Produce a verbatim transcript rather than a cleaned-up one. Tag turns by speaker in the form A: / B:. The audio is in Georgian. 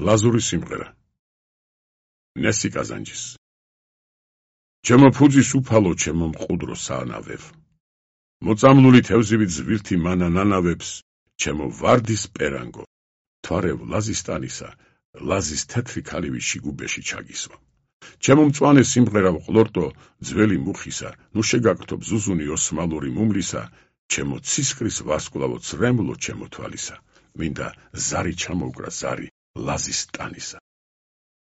A: ლაზური სიმღერა. ნესი კაზანჯის. ჩემო ფუძის უფალო, ჩემო მყუდრო საანავებ. მოწამლული თევზივით ზვირთი მანა ნანავებს, ჩემო ვარდის პერანგო. თვარევ ლაზისტანისა, ლაზის თეთრი ქალივი შიგუბეში ჩაგისვა. ჩემო მწვანე სიმღერა ვყლორტო, ძველი მუხისა, ნუ შეგაგთობ ზუზუნი ოსმალური მუმლისა, ჩემო ცისკრის ვარსკვლავო ცრემლო ჩემო თვალისა. მინდა ზარი ჩამოუკრა ზარი ლაზის ტანისა.